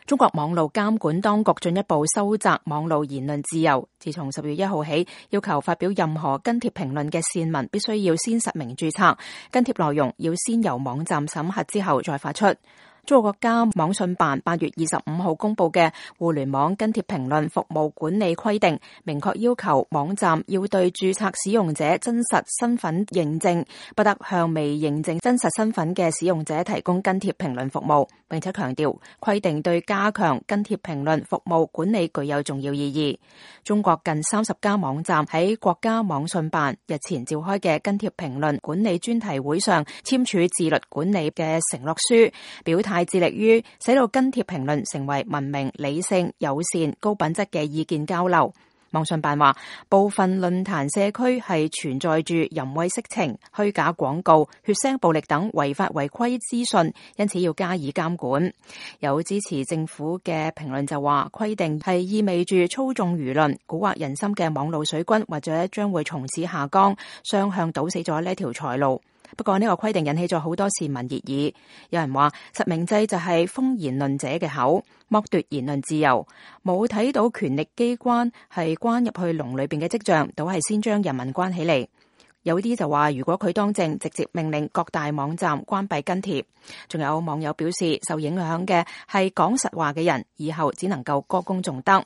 中國網路監管當局進一步收窄網路言論自由。自從10月1號起，要求發表任何跟帖評論嘅線民必須要先實名註冊，跟帖內容要先由網站審核之後再發出。中國國家網信辦8月25號公布嘅互聯網跟帖評論服務管理規定，明確要求網站要對註冊使用者真實身份認證，不得向未認證真實身份嘅使用者提供跟帖評論服務，並且強調規定對加強跟帖評論服務管理具有重要意義。中國近30家網站喺國家網信辦日前召開嘅跟帖評論管理專題會上簽署自律管理嘅承諾書，表態致力於使到跟帖評論成為文明、理性、友善、高品質嘅意見交流。網信辦話，部分論壇社區係存在住淫穢色情、虛假廣告、血腥暴力等違法違規資訊，因此要加以監管。有支持政府嘅評論就話，規定係意味住操縱輿論、蠱惑人心嘅網路水軍，或者將會從此下崗，雙向堵死咗呢條財路。不過呢個規定引起咗好多市民熱議，有人話實名制就係封言論者嘅口，剝奪言論自由，冇睇到權力機關係關入去籠裏邊嘅跡象，倒係先將人民關起嚟。有啲就話如果佢當政，直接命令各大網站關閉跟帖。仲有網友表示，受影響嘅係講實話嘅人，以後只能夠歌功頌德。